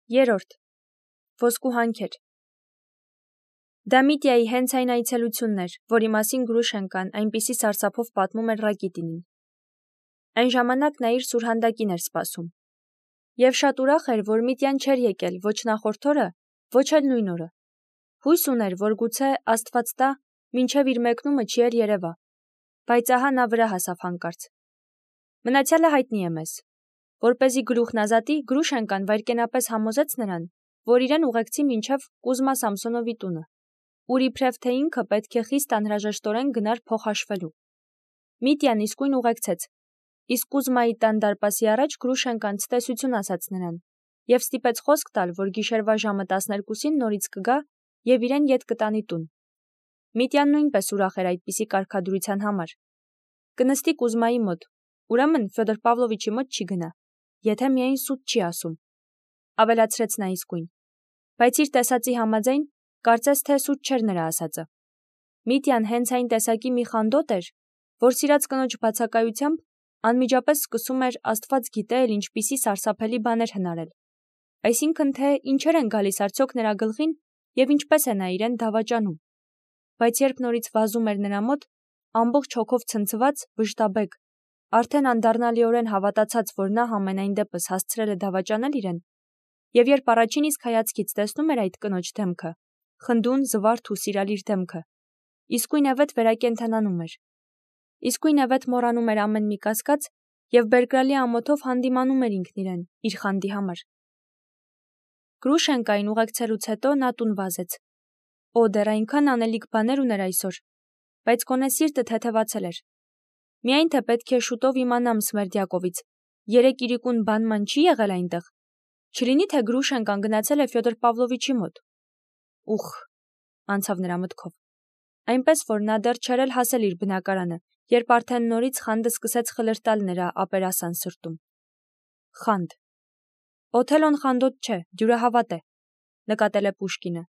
Երրորդ. ոսկու հանքեր։ Դա Միտիայի հենց այն այցելությունն էր, որի մասին Գրուշենկան այնպիսի սարսափով պատմում էր Ռակիտինին։ Այն ժամանակ նա իր սուրհանդակին էր սպասում։ Եվ շատ ուրախ էր, որ Միտյան չէր եկել ոչ նախորդ օրը, ոչ էլ նույն օրը։ Հույս ուներ, որ գուցե Աստված տա, մինչև իր մեկնումը չի էլ երևա, բայց ահա նա վրա հասավ հանկարծ։ Մնացյալը հայտնի է մեզ։ Որպեսզի գլուխն ազատի, Գրուշենկան վայրկենապես համոզեց նրան, որ իրեն ուղեկցի մինչև Կուզմա Սամսոնովի տունը, ուր իբրև թե ինքը պետք է խիստ անհրաժեշտորեն գնար փոխհաշվելու։ Միտյան իսկույն ուղեկցեց, իսկ Կուզմայի տան դարպասի առաջ Գրուշենկան ցտեսություն ասաց նրան և ստիպեց խոսք տալ, որ գիշերվա ժամը 12-ին նորից կգա և իրեն ետ կտանի տուն։ Միտյան նույնպես ուրախ էր այդպիսի կարգադրության համար։ Կնստի Կուզմայի մոտ, ուրեմն Ֆյոդոր Պավլովիչի մոտ չի գնա, եթե միայն սուտ չի ասում, ավելացրեց նա իսկույն, բայց իր տեսածի համաձայն կարծես թե սուտ չէր նրա ասածը։ Միտյան հենց այն տեսակի մի խանդոտ էր, որ սիրած կնոջ բացակայությամբ անմիջապես սկսում էր Աստված գիտե էլ ինչպիսի սարսափելի բաներ հնարել, այսինքն թե ինչեր են գալիս արդյոք նրա գլխին և ինչպես է նա իրեն դավաճանում, բայց երբ նորից վազում էր նրա մոտ, ամբողջ հոգով ցնցված, վշտաբեկ, արդեն անդառնալիորեն հավատացած, որ նա համենայն դեպս հասցրել է դավաճանել իրեն, և երբ առաջին իսկ հայացքից տեսնում էր այդ կնոջ դեմքը, խնդուն, զվարթ ու սիրալիր դեմքը, իսկույնևեթ վերակենդանանում էր, իսկույնևեթ մոռանում էր ամեն մի կասկած և բերկրալի ամոթով հանդիմանում էր ինքն իրեն, իր խանդի համար։ Գրուշենկային ուղեկցելուց հետո նա տուն վազեց։ Օ, դեռ այնքան անելիք բաներ ուներ այսօր, բայց գոնե սիրտը թեթևացել էր։ Միայն թե պետք է շուտով իմանամ Սմերդյակովից, երեկ իրիկուն բանման չի եղել այնտեղ։ Չլինի թե Գրուշենկան գնացել է Ֆյոդոր Պավլովիչի մոտ։ Ուխ, անցավ նրա մտքով։ Այնպես որ նա դեռ չէր էլ հասել իր բնակարանը, երբ արդեն նորից խանդը սկսեց խլրտալ նրա ապերասան սրտում։ Խանդ։ Օթելոն խանդոտ չէ, դյուրահավատ է, նկատել է Պուշկինը,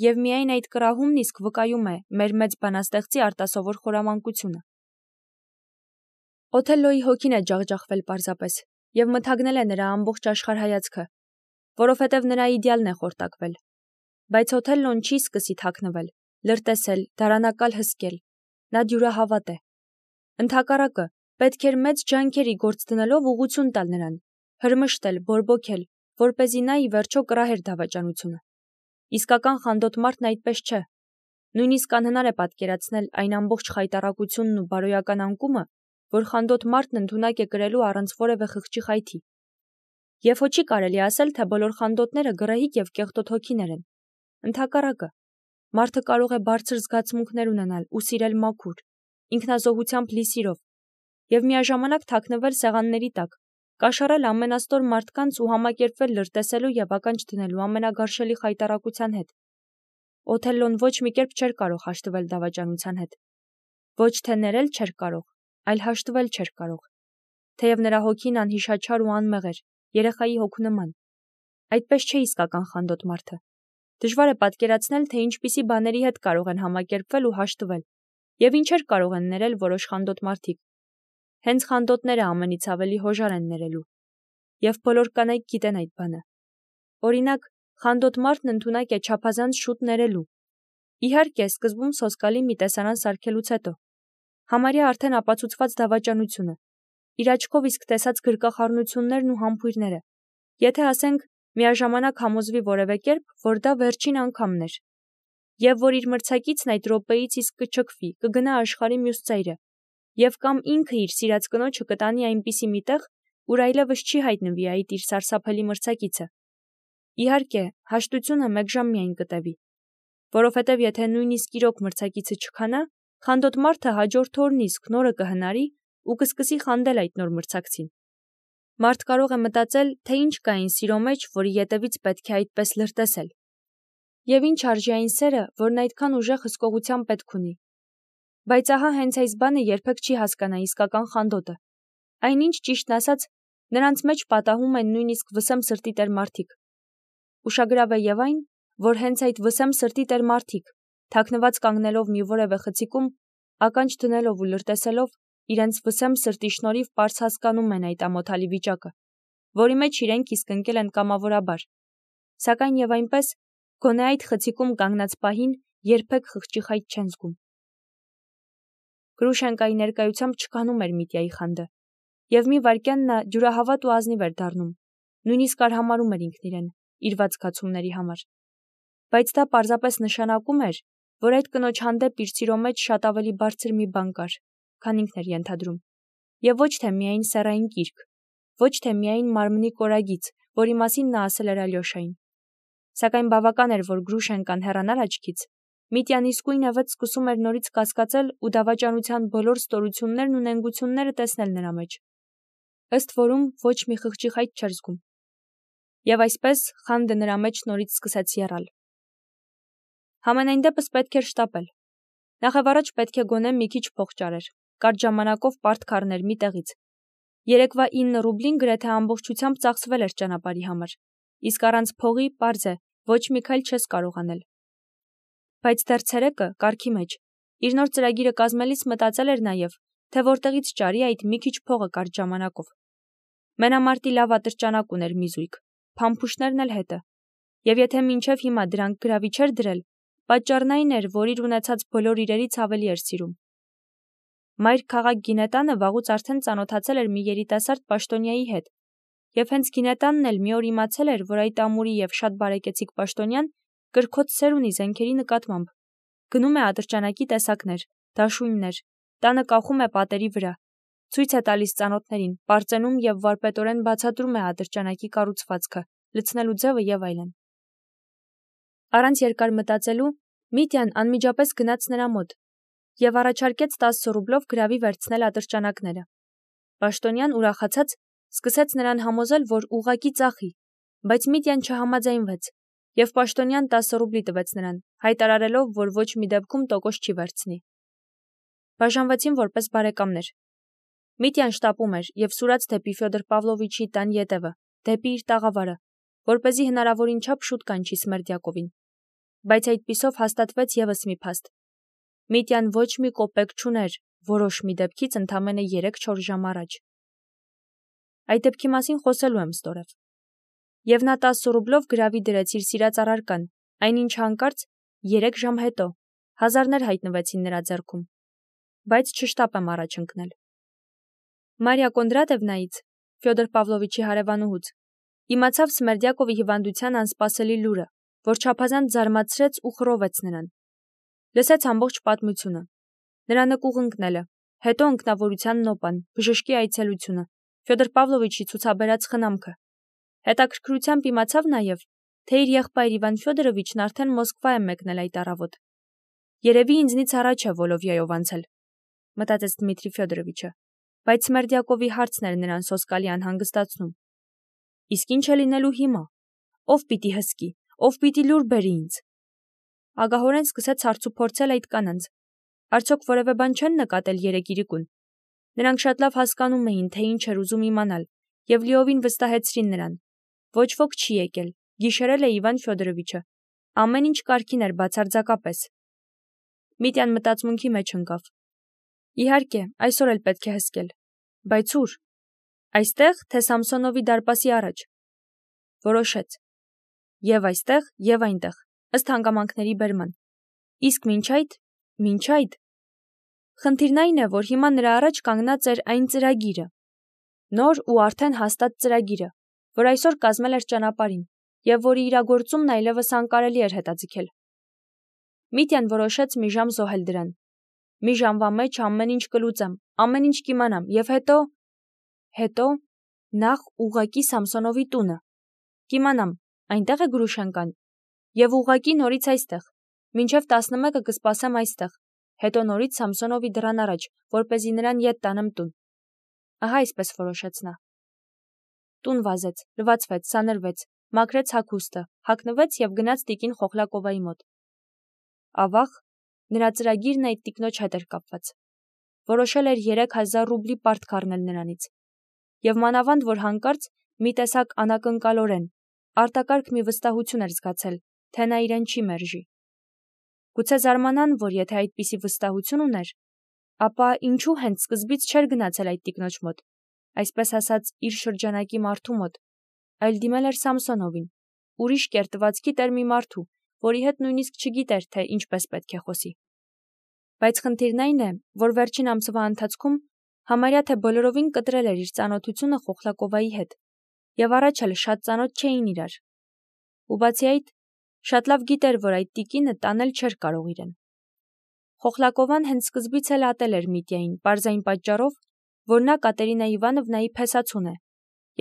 և միայն այդ կռահումն իսկ վկայում է մեր մեծ բանաստեղծի արտասովոր խորամանկությունը։ Օթելլոյի հոգին է ջախջախվել պարզապես, և մթագնել է նրա ամբողջ աշխարհայացքը, որովհետև նրա իդեալն է խորտակվել։ Բայց Օթելլոն չի սկսի թաքնվել, լրտեսել, դարանակալ հսկել, նա դյուրահավատ է։ Ընդհակառակը, պետք էր մեծ ջանքերի գործ դնելով ուղղություն տալ նրան, հրմշտել, բորբոքել, որպեսզի նա ի վերջո կռահեր դավաճանությունը։ Իսկական խանդոտ մարդն այդպես չէ։ Նույնիսկ անհնար է պատկերացնել այն ամբողջ խայտառակությունն ու բարոյական անկումը, որ խանդոտ մարդն ընդունակ է կրելու առանց որևէ խղճի խայթի։ Եվ հո չի կարելի ասել, թե բոլոր խանդոտները գռեհիկ և կեղտոտ հոգիներ են։ Ընդհակառակը, մարդը կարող է բարձր զգացմունքներ ունենալ ու սիրել մաքուր, ինքնազոհությամբ լի սիրով, և միաժամանակ թաքնվել սեղանների տակ, կաշառել ամենաստոր մարդկանց ու համակերպվել լրտեսելու և ականջ դնելու ամենագարշելի խայտառակության հետ։ Օթելլոն ոչ մի կերպ չէր կարող հաշտվել դավաճանության հետ։ Ոչ թե ներել չէր կարող, այլ հաշտվել չէր կարող, թեև նրա հոգին անհիշաչար ու անմեղ էր, երեխայի հոգու նման։ Այդպես չէ իսկական խանդոտ մարդը։ Դժվար է պատկերացնել, թե ինչպիսի բաների հետ կարող են համակերպվել ու հաշտվել, և ինչեր կարող են ներել որոշ խանդոտ մարդիկ։ Հենց խանդոտները ամենից ավելի հոժար են ներելու։ Եվ բոլոր կանայք գիտեն այդ բանը։ Օրինակ, խանդոտ մարդն ընդունակ է չափազանց շուտ ներելու։ Իհարկե, սկզբում սոսկալի մի տեսարան սարքելուց հետո։ Համարյա արդեն ապացուցված դավաճանությունը, իր աչքով իսկ տեսած գրկախառնություններն ու համբույրները, եթե ասենք միաժամանակ համոզվի որևէ կերպ, որ դա վերջին անգամն էր, և որ իր մրցակիցն այդ րոպեից իսկ կչքվի, կգնա աշխարհի մյուս ծայրը, և կամ ինքը իր սիրած կնոջը կտանի այնպիսի մի տեղ, ուր այլևս չի հայտնվի այդ իր սարսափելի մրցակիցը։ Իհարկե, հաշտությունը մեկ ժամ միայն կտևի, որովհետև եթե նույնիսկ իրոք մրցակիցը չքանա, խանդոտ մարդը հաջորդ օրն իսկ նորը կհնարի ու կսկսի խանդել այդ նոր մրցակցին։ Մարդ կարող է մտածել, թե ինչ կա այն սիրո մեջ, որի ետևից պետք է այդպես լրտեսել։ Եվ ինչ արժի այն սերը, որն այդքան ուժեղ հսկողության պետք ունի։ Բայց ահա հենց այս բանը երբեք չի հասկանա իսկական խանդոտը։ Այնինչ ճիշտն ասած, նրանց մեջ պատահում են նույնիսկ վսեմ սրտի տեր մարդիկ։ Ուշագրավ է և այն, որ հենց այդ վսեմ սրտի տեր մարդիկ, թաքնված կանգնելով մի որևէ խցիկում, ականջ դնելով ու լրտեսելով, իրենց վսեմ սրտի շնորհիվ պարզ հասկանում են այդ ամոթալի վիճակը, որի մեջ իրենք իսկ ընկել են կամավորաբար, Սակայն եւ այնպես գոնե այդ խցիկում կանգնած պահին երբեք խղճի խայտ չեն զգում։ Գրուշենկայի ներկայությամբ չկանում էր Միտյայի խանդը, եւ մի վայրկյան նա ջուրահավատ ու ազնիվ էր դառնում, նույնիսկ արհամարհում էր ինքն իրեն իր ված զգացումների համար։ Բայց դա պարզապես նշանակում էր, որ այդ կնոջ հանդեպ իր սիրո մեջ շատ ավելի բարձր մի բան կար, քան ինքն էր ենթադրում, եւ ոչ թե միայն սեռային կիրք, ոչ թե միայն մարմնի կորագիծ, որի մասին նա ասել էր Ալյոշային։ Սակայն բավական էր, որ Գրուշենկան հեռանար աչքից, Միտյան իսկույնևեթ սկսում էր նորից կասկածել ու դավաճանության բոլոր ստորություններն ու նենգությունները տեսնել նրա մեջ, ըստ որում ոչ մի խղճի խայտ չէր զգում։ Եվ այսպես խանդը նրա մեջ նորից սկսեց եռալ։ Համենայն դեպս պետք էր շտապել։ Նախավառաջ պետք է գոնե մի քիչ փող ճարեր, կարճ ժամանակով պարտք առներ մի տեղից։ Երեկվա 9 ռուբլին գրեթե ամբողջությամբ ծախսվել էր ճանապարհի համար, իսկ առանց փողի պարզ է, ոչ մի քայլ չես կարող անել։ Բայց դեռ ցերեկը, կարգի մեջ, իր նոր ծրագիրը կազմելիս մտածել էր նաև, թե որտեղից ճարի այդ մի քիչ փողը կարճ ժամանակով։ Մենամարտի լավ ատրճանակ ուներ մի զույգ, փամփուշտներն էլ հետը։ Եվ եթե մինչև հիմա դրանք գրավի չէր դրել, պատճառն այն էր, որ իր ունեցած բոլոր իրերից ավելի էր սիրում։ Մայր քաղաք Գինետանը վաղուց արդեն ծանոթացել էր մի երիտասարդ պաշտոնյայի հետ, եւ հենց Գինետանն էլ մի օր իմացել էր, որ այդ ամուրի եւ շատ բարեկեցիկ պաշտոնյան կրքոտ սեր ունի զենքերի նկատմամբ։ Գնում է ատրճանակի տեսակներ, դաշույններ, տանը կախում է պատերի վրա, ցույց է տալիս ծանոթներին, պարծենում եւ վարպետորեն բացատրում է ատրճանակի կառուցվածքը, լցնելու ձևը եւ այլն։ Առանց երկար մտածելու Միտյան անմիջապես գնաց նրա մոտ եւ առաջարկեց 10 ռուբլով գրավի վերցնել ատրճանակները։ Պաշտոնյան ուրախացած սկսեց նրան համոզել, որ ուղղակի ծախի, բայց Միտյան չհամաձայնվեց եւ պաշտոնյան 10 ռուբլի տվեց նրան, հայտարարելով, որ ոչ մի դեպքում տոկոս չի վերցնի։ Բաժանվեցին որպես բարեկամներ։ Միտյան շտապում էր եւ սուրաց դեպի Ֆյոդոր Պավլովիչի տան ետևը, դեպի իր տաղավարը, որպեսզի հնարավորին չափ շուտ կանչի Սմերդյակովին։ Բայց այդպիսով հաստատվեց եւս մի փաստ։ Միտյան ոչ մի կոպեկ չուներ, որոշ մի դեպքից ընդամենը 3-4 ժամ առաջ։ Այդ դեպքի մասին խոսելու եմ ստորև։ Եվ նա 10 ռուբլով գրավի դրեց իր սիրած առարկան, այնինչ հանկարծ 3 ժամ հետո հազարներ հայտնվեցին նրա ձեռքում։ Բայց չշտապեմ առաջ ընկնել։ Մարիա Կոնդրատևնայից, Ֆյոդոր Պավլովիչի հարևանուհուց, իմացավ Սմերդյակովի հիվանդության անսպասելի լուրը, որ չափազանց զարմացրեց ու խռովեց նրան։ Լսեց ամբողջ պատմությունը, նրա նկուղ ընկնելը, հետո ընկնավորության նոպան, բժշկի այցելությունը, Ֆյոդոր Պավլովիչի ցուցաբերած խնամքը։ Հետաքրքրությամբ իմացավ նաև, թե իր եղբայր Իվան Ֆյոդորովիչն արդեն Մոսկվա է մեկնել այդ առավոտ։ Երևի ինձնից առաջ է Վոլովյայով անցել, մտածեց Դմիտրի Ֆյոդորովիչը, բայց Սմերդյակովի հարցն էր նրան սոսկալի անհանգստացնում։ Իսկ ինչ է լինելու հիմա։ Ով պիտի հսկի, ով պիտի լուր բերի ինձ։ Ագահորեն սկսեց հարցուփորձել այդ կանանց։ Արդյոք որևէ բան չեն նկատել երեք իրիկուն։ Նրանք շատ լավ հասկանում էին, թե ինչ էր ուզում իմանալ, եւ լիովին վստահեցրին նրան։ Ոչ ոք չի եկել, գիշերել է Իվան Ֆյոդորովիչը։ Ամեն ինչ կարգին էր բացարձակապես։ Միտյան մտածմունքի մեջ ընկավ։ Իհարկե, այսօր էլ պետք է հսկել։ Բայց ուր։ Այստեղ, թե Սամսոնովի դարպասի առաջ։ Որոշեց։ Եվ այստեղ, եւ այնտեղ, ըստ հանգամանքների բերման։ Իսկ մինչ այդ խնդիրն այն է, որ հիմա նրա առաջ կանգնած էր այն ծրագիրը, նոր ու արդեն հաստատ ծրագիրը, որ այսօր կազմել էր ճանապարհին, եւ որի իրագործումն այլևս անկարելի էր հետաձգել։ Միտյան որոշեց մի ժամ զոհել դրան։ Մի ժամվա մեջ ամեն ինչ կլուծեմ, ամեն ինչ կիմանամ, եւ հետո նախ ուղղակի Սամսոնովի տունը։ Կիմանամ, այնտեղ է Գրուշենկան, եւ ուղղակի նորից այստեղ, մինչև 11-ը կսպասեմ այստեղ, հետո նորից Սամսոնովի դռան առաջ, որպեսզի նրան ետ տանեմ տուն։ Ահա այսպես որոշեց նա։ Տուն վազեց, լվացվեց, սանրվեց, մաքրեց հագուստը, հագնվեց եւ գնաց տիկին Խոխլակովայի մոտ։ Ավաղ, նրա ծրագիրն այդ տիկնոջ հետ էր կապված։ Որոշել էր 3000 ռուբլի պարտք առնել նրանից։ Եվ մանավանդ, որ հանկարծ մի տեսակ անակնկալորեն, արտակարգ մի վստահություն էր զգացել, թե նա իրեն չի մերժի։ Գուցե զարմանան, որ եթե այդպիսի վստահություն ուներ, ապա ինչու հենց սկզբից չէր գնացել այդ տիկնոջ մոտ, այսպես ասած իր շրջանակի մարդու մոտ, այլ դիմել էր Սամսոնովին, ուրիշ կերտվածքի տեր մի մարդու, որի հետ նույնիսկ չգիտեր, թե ինչպես պետք է խոսի։ Բայց խնդիրն այն է, որ վերջին ամսվա ընթացքում համարյա թե բոլորովին կտրել էր իր ծանոթությունը Խոխլակովայի հետ, եւ առաջ էլ շատ ծանոթ չէին իրար։ Ու բացի այդ, շատ լավ գիտեր, որ այդ տիկինը տանել չէր կարող իրեն։ Խոխլակովան հենց սկզբից էլ ատել էր Միտյային, պարզային պատճառով, որ նա Կատերինա Իվանովնայի փեսացուն է,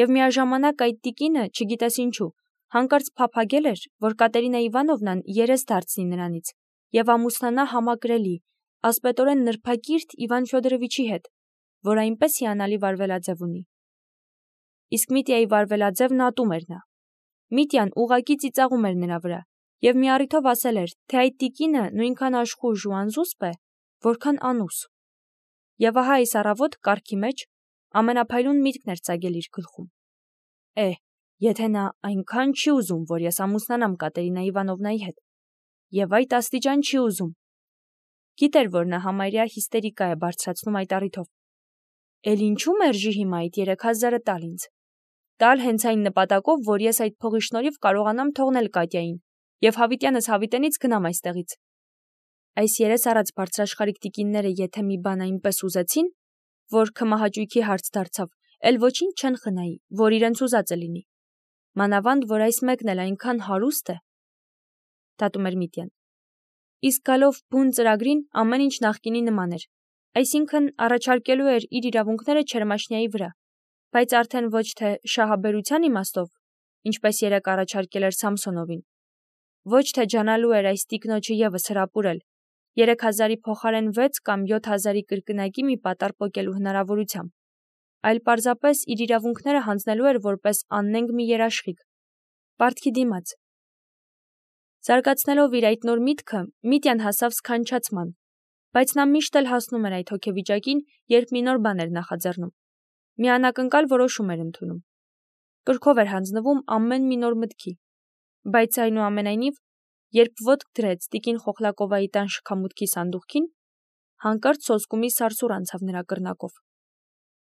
եւ միաժամանակ այդ տիկինը, չգիտես ինչու, հանկարծ փափագել էր, որ Կատերինա Իվանովնան երես դարձնի նրանից եւ ամուսնանա համակրելի, ասպետորեն նրբակիրթ Իվան Ֆյոդորովիչի հետ, որ այնպես հիանալի վարվելաձև ունի։ Իսկ Միտյայի վարվելաձևն ատում էր նա։ Միտյան ուղակի ծիծաղում էր նրա վրա եւ մի առիթով ասել էր, թե այդ տիկինը նույնքան աշխույժ ու անզուսպ է, որքան անուս։ Եվ ահա այս առավոտ կարգի մեջ ամենափայլուն միտքն էր ծագել իր գլխում։ Եթե նա այնքան չի ուզում, որ ես ամուսնանամ Կատերինա Իվանովնայի հետ, եւ այդ աստիճան չի ուզում։ Գիտեր, որ նա համարյա հիստերիկա է բարձրացնում այդ առիթով։ Էլ ինչու մերժի հիմա այդ 3000-ը տալ ինձ։ Տալ հենց այն նպատակով, որ ես այդ փողի շնորհիվ կարողանամ թողնել Կատյային եւ հավիտյանս հավիտենից գնամ այստեղից։ Այս երես առած բարձրաշխարհիկ տիկինները եթե մի բան այնպես ուզեցին, որ քմահաճույքի հարց դարձավ, էլ ոչինչ չեն խնայի, որ իրենց ուզածը լինի։ Մանավանդ, որ այս մեկն էլ այնքան հարուստ է, դատում էր Միտյան։ Իսկ գալով բուն ծրագրին ամեն ինչ նախկինի նման էր, այսինքն առաջարկելու էր իր իրավունքները Չերմաշնիայի վրա, բայց արդեն ոչ թե շահաբերության իմաստով, ինչպես երեք առաջարկել էր Սամսոնովին, ոչ թե ջանալու էր այս տիկնոջը եւս հրապուրել 3000-ի փոխարեն 6 կամ 7000-ի կրկնակի մի պատառ պոկելու հնարավորությամբ, այլ պարզապես իր իրավունքները հանձնելու էր որպես աննենգ մի երաշխիք, պարտքի դիմաց։ Զարգացնելով իր այդ նոր միտքը, Միտյան հասավ սքանչացման, բայց նա միշտ էլ հասնում էր այդ հոգեվիճակին, երբ մի նոր բան էր նախաձեռնում, մի անակնկալ որոշում էր ընդունում, կրքով էր հանձնվում ամեն մի նոր մտքի, բայց այնուամենայնիվ, երբ ոտք դրեց տիկին Խոխլակովայի տան շքամուտքի սանդուղքին, հանկարծ սոսկումի սարսուռ անցավ նրա կրնակով։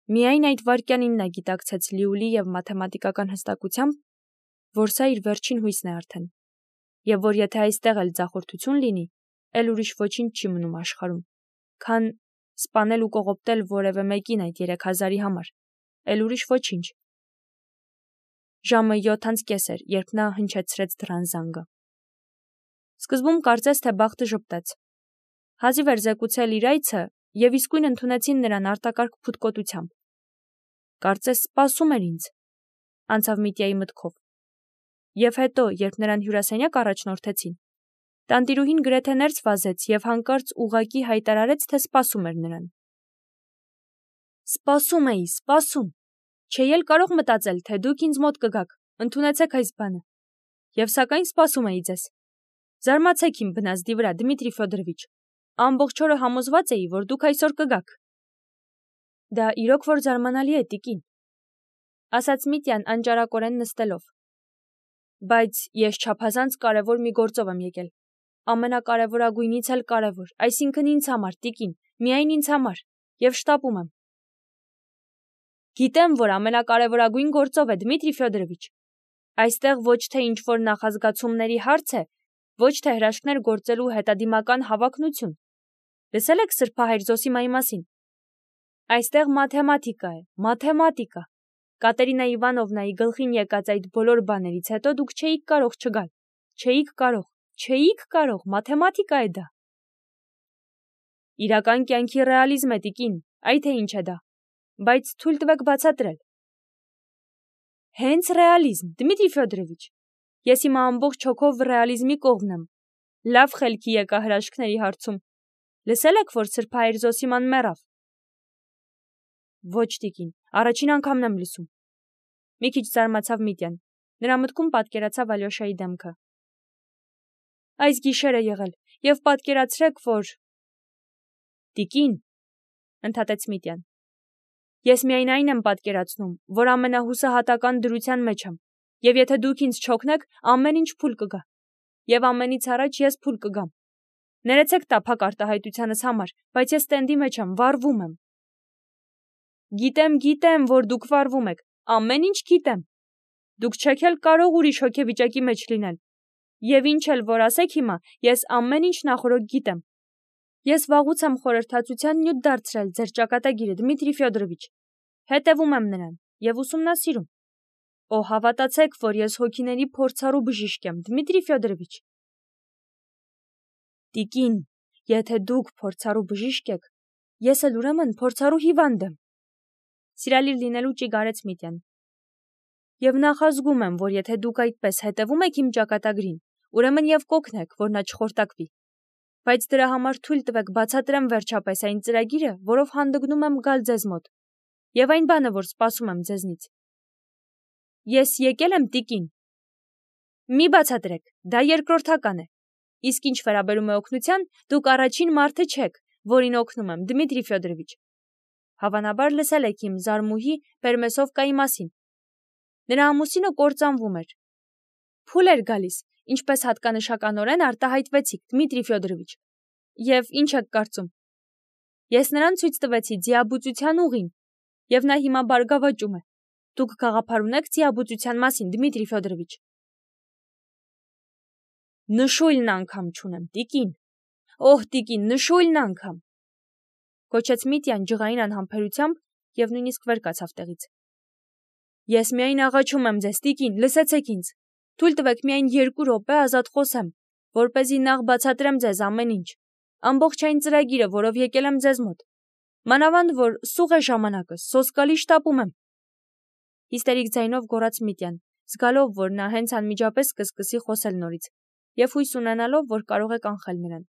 Միայն այդ վայրկյանին նա գիտակցեց լիուլի եւ մաթեմատիկական հստակությամբ, որ սա իր վերջին հույսն է արդեն, եւ որ եթե այստեղ էլ ձախորդություն լինի, էլ ուրիշ ոչինչ չի մնում աշխարհում, քան սպանել ու կողոպտել որևէ մեկին այդ 3000-ի համար, էլ ուրիշ ոչինչ։ Ժամը 7:30 էր, երբ նա հնչեցրեց դռան զանգը։ Սկզբում կարծես թե բախտը ժպտեց։ Հազիվ էր զեկուցել իր այցը եւ իսկույն ընդունեցին նրան արտակարգ փութկոտությամբ։ Կարծես սպասում էր ինձ, անցավ Միտյայի մտքով։ Եվ հետո, երբ նրան հյուրասենյակ առաջնորդեցին, տանտիրուհին գրեթե ներս վազեց եւ հանկարծ ուղակի հայտարարեց, թե սպասում էր նրան։ Սպասում էի, սպասում։ Չէի էլ կարող մտածել, թե դուք ինձ մոտ կգաք, ընդունեցեք այս բանը։ Եվ սակայն սպասում էի ձեզ։ Զարմացեք իմ բնազդի վրա, Դմիտրի Ֆյոդորովիչ։ Ամբողջ օրը համոզված էի, որ դուք այսօր կգաք։ Դա իրոք որ զարմանալի է, տիկին, ասաց Միտյան անճարակորեն նստելով։ Բայց ես չափազանց կարևոր մի գործով եմ եկել։ Ամենակարևորագույնից էլ կարևոր, այսինքն ինձ համար, տիկին, միայն ինձ համար, եւ շտապում եմ։ Գիտեմ, որ ամենակարևորագույն գործով է, Դմիտրի Ֆյոդորովիչ։ Այստեղ ոչ թե ինչ-որ նախազգացումների հարց է, ոչ թե հրաշքներ գործելու հետադիմական հավակնություն։ Լսել եք Սրբահայր Զոսիմայի մասին։ Այստեղ մաթեմատիկա է, մաթեմատիկա։ Կատերինա Իվանովնայի գլխին եկած այդ բոլոր բաներից հետո դուք չէիք կարող չգալ։ Չէիք կարող, մաթեմատիկա է դա։ Իրական կյանքի ռեալիզմ է, տիկին, այ թե ինչ է դա։ Բայց թույլ տվեք բացատրել։ Հենց ռեալիզմ, Դմիտրի Ֆյոդորովիչ։ Ես իմ ամբողջ հոգով ռեալիզմի կողմն եմ։ Լավ խելքի եկա հրաշքների հարցում։ Լսել եք, որ Սրբահայր Զոսիման մեռավ։ Ոչ, տիկին, առաջին անգամն եմ լսում։ Մի քիչ զարմացավ Միտյան։ Նրա մտքում պատկերացավ Ալյոշայի դեմքը։ Այս գիշեր է եղել, եւ պատկերացրեք, որ… Տիկին, ընդհատեց Միտյան։ Ես միայն այն եմ պատկերացնում, որ ամենահուսահատական դրության մեջ եմ, եւ եթե դուք ինձ չօգնեք, ամեն ինչ փուլ կգա։ Եվ ամենից առաջ ես փուլ կգամ։ Ներեցեք տափակ արտահայտությանս համար, բայց ես ստենդի մեջ եմ, վառվում եմ։ Գիտեմ, որ դուք վառվում եք, ամեն ինչ գիտեմ։ Դուք չեք էլ կարող ուրիշ հոգեվիճակի մեջ լինել։ Եվ ինչ էլ որ ասեք հիմա, ես ամեն ինչ նախորդ գիտեմ։ Ես վաղուց եմ խորհրդածության նյութ դարձրել ձեր ճակատագիրը, Դմիտրի Ֆյոդորովիչ։ Հետևում եմ նրան եւ ուսումնասիրում։ Օ, հավատացեք, որ ես հոգիների փորձառու բժիշկ եմ, Դմիտրի Ֆյոդորովիչ։ Տիկին, եթե դուք փորձառու բժիշկ եք, ես էլ ուրեմն փորձառու հիվանդ եմ։ Սիրալիր լինելու ճիգարեց Միտյան։ Եվ նախազգում եմ, որ եթե դուք այդպես հետևում եք իմ ճակատագրին, ուրեմն եւ կօգնեք, որ նա չխորտակվի։ Բայց դրա համար թույլ տվեք բացատրեմ վերջապես այն ծրագիրը, որով հանդգնում եմ գալ ձեզ մոտ, եւ այն բանը, որ սպասում եմ ձեզնից։ Ես եկել եմ, տիկին։ Մի բացատրեք, դա երկրորդական է։ Իսկ ինչ վերաբերում է օգնության, դուք առաջին մարդը չեք, որին օգնում եմ, Դմիտրի Ֆյոդորովիչ։ Հավանաբար լսել եք իմ զարմուհի Պերմեսովկայի մասին։ Նրա ամուսինը կործանվում էր։ Փուլ էր գալիս, ինչպես հատկանշականորեն արտահայտվեցիք, Դմիտրի Ֆյոդորովիչ։ Եվ ինչ եք կարծում։ Ես նրան ցույց տվեցի ձիաբուծության ուղին, եւ նա հիմա բարգավաճում է։ Դուք գաղափար ունեք ձիաբուծության մասին, Դմիտրի Ֆյոդորովիչ։ Նշույլն անգամ չունեմ, տիկին։ Օհ, տիկին, նշույլն անգամ։ Կոչեց Միտյան ջղային անհամբերությամբ եւ նույնիսկ վեր կացավ տեղից։ Ես միայն աղաչում եմ ձեզ, տիկին, լսեցեք ինձ։ Թույլ տվեք միայն 2 րոպե ազատ խոսեմ, որպեսզի նախ բացատրեմ ձեզ ամեն ինչ։ Ամբողջ այն ծրագիրը, որով եկել եմ ձեզ մոտ։ Մանավանդ որ սուղ է ժամանակը, սոսկալի շտապում եմ։ Հիստերիկ ձայնով գոռաց Միտյան, զգալով, որ նա հենց անմիջապես կսկսի խոսել նորից, եւ հույս ունենալով, որ կարող է կանխել նրան։